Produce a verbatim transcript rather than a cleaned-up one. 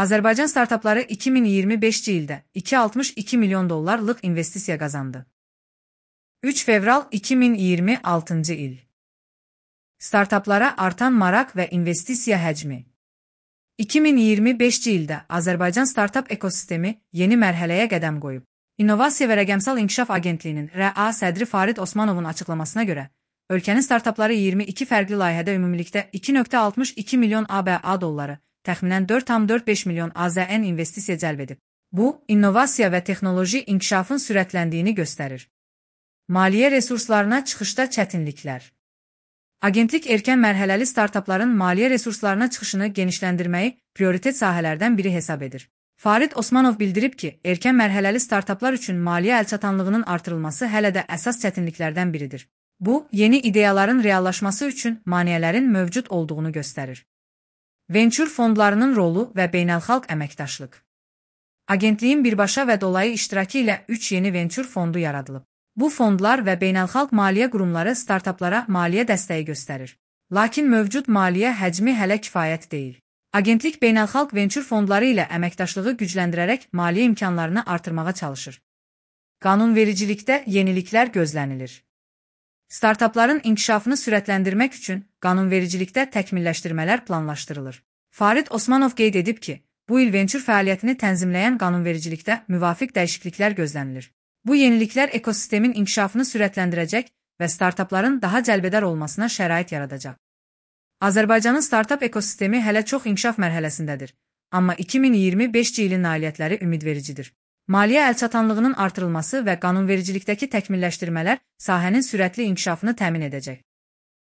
Azərbaycan startapları iki min iyirmi beşinci ildə iki yüz altmış iki milyon dollarlıq investisiya qazandı. üç fevral iki min iyirmi altıncı il. Startaplara artan maraq və investisiya həcmi. iki min iyirmi beşinci ildə Azərbaycan startap ekosistemi yeni mərhələyə qədəm qoyub. İnnovasiya və Rəqəmsal İnkişaf Agentliyinin R A sədri Farid Osmanovun açıqlamasına görə, ölkənin startapları iyirmi iki fərqli layihədə ümumilikdə iki nöqtə altmış iki milyon A B A dolları, təxminən dörd nöqtə dörd beş milyon A Z N investisiya cəlb edib. Bu, innovasiya və texnoloji inkişafın sürətləndiyini göstərir. Maliyyə resurslarına çıxışda çətinliklər. Agentlik erkən mərhələli startapların maliyyə resurslarına çıxışını genişləndirməyi prioritet sahələrdən biri hesab edir. Farid Osmanov bildirib ki, erkən mərhələli startaplar üçün maliyyə əlçatanlığının artırılması hələ də əsas çətinliklərdən biridir. Bu, yeni ideyaların reallaşması üçün maneələrin mövcud olduğunu göstərir. Venture fondlarının rolu və beynəlxalq əməkdaşlıq. Agentliyin birbaşa və dolayı iştirakı ilə üç yeni venture fondu yaradılıb. Bu fondlar və beynəlxalq maliyyə qurumları startaplara maliyyə dəstəyi göstərir. Lakin mövcud maliyyə həcmi hələ kifayət deyil. Agentlik beynəlxalq venture fondları ilə əməkdaşlığı gücləndirərək maliyyə imkanlarını artırmağa çalışır. Qanunvericilikdə yeniliklər gözlənilir. Startapların inkişafını sürətləndirmək üçün qanunvericilikdə təkmilləşdirmələr planlaşdırılır. Farid Osmanov qeyd edib ki, bu il venture fəaliyyətini tənzimləyən qanunvericilikdə müvafiq dəyişikliklər gözlənilir. Bu yeniliklər ekosistemin inkişafını sürətləndirəcək və startapların daha cəlbədar olmasına şərait yaradacaq. Azərbaycanın startap ekosistemi hələ çox inkişaf mərhələsindədir, amma iki min iyirmi beşinci ilin nailiyyətləri ümidvericidir. Maliyyə əlçatanlığının artırılması və qanunvericilikdəki təkmilləşdirmələr sahənin sürətli inkişafını təmin edəcək.